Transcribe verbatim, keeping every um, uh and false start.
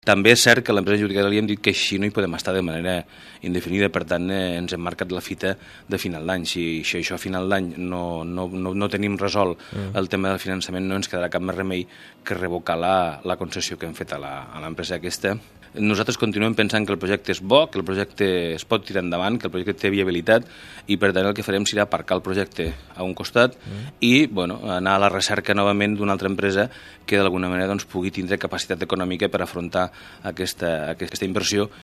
També és cert que l'empresa adjudicatària li hem dit que així no hi podem estar de manera indefinida, per tant eh, ens hem marcat la fita de final d'any. Si, si això a final d'any no, no, no, no tenim resolt mm. el tema del finançament, no ens quedarà cap més remei que revocar la, la concessió que hem fet a l'empresa aquesta. Nosaltres continuem pensant que el projecte és bo, que el projecte es pot tirar endavant, que el projecte té viabilitat i per tant el que farem serà aparcar el projecte a un costat mm. i bueno, anar a la recerca novament d'una altra empresa que d'alguna manera doncs, pugui tindre capacitat econòmica per afrontar aquesta, aquesta inversió